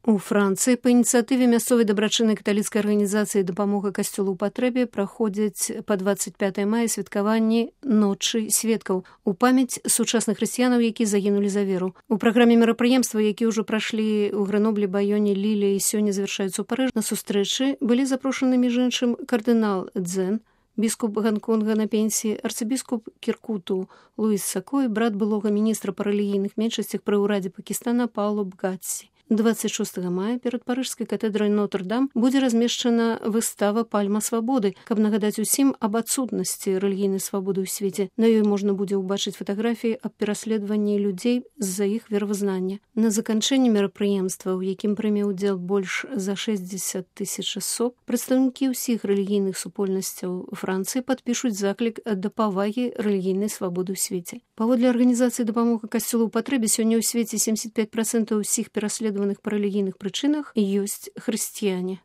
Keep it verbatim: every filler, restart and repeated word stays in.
У Францыі па ініцыятыве мясцовай дабрачыннай каталіцкай арганізацыі «Дапамога касцёлу ў патрэбе» праходзяць па дваццаць пятае мая святкаванні ночы сведкаў у памяць сучасных хрысціянаў, якія загінулі за веру. У праграме мерапрыемства, якія ўжо прашлі ў Грэноблі, Байоне, Ліле і сёння завяршаюцца ў Парыжы, на сустрэчы былі запрошаны між іншым кардынал Дзен, біскуп Ганконга на пенсіі, арцыбіскуп Кіркуту Луіс Сако і брат былога міністра па рэлігійных меншасцях пры ўрадзе Пакістана Пауло Бгатсі. дваццаць шостага мая перад парыжскай катэдрай Нотр-Дам будзе размешчана выстава «Пальма свабоды», каб нагадаць усім аб адсутнасці рэлігійнай свабоды ў свеце. На ёй можна будзе ўбачыць фатаграфіі аб пераследаванні людзей з-за іх веравызнання. На заканчэнні мерапрыемства, у якім прыме ўдзел больш за шэсцьдзесят тысяч асоб, прадстаўнікі ўсіх рэлігійных супольнасцяў Францыі падпішуць заклік да павагі рэлігійнай свабоды ў свеце. Паводле арганізацыі «Дапамога касцёлу ў патрэбе» сёння ў свеце семьдесят пять процентов усіх пераследаваных па рэлігійных прычынах ёсць хрысціяне.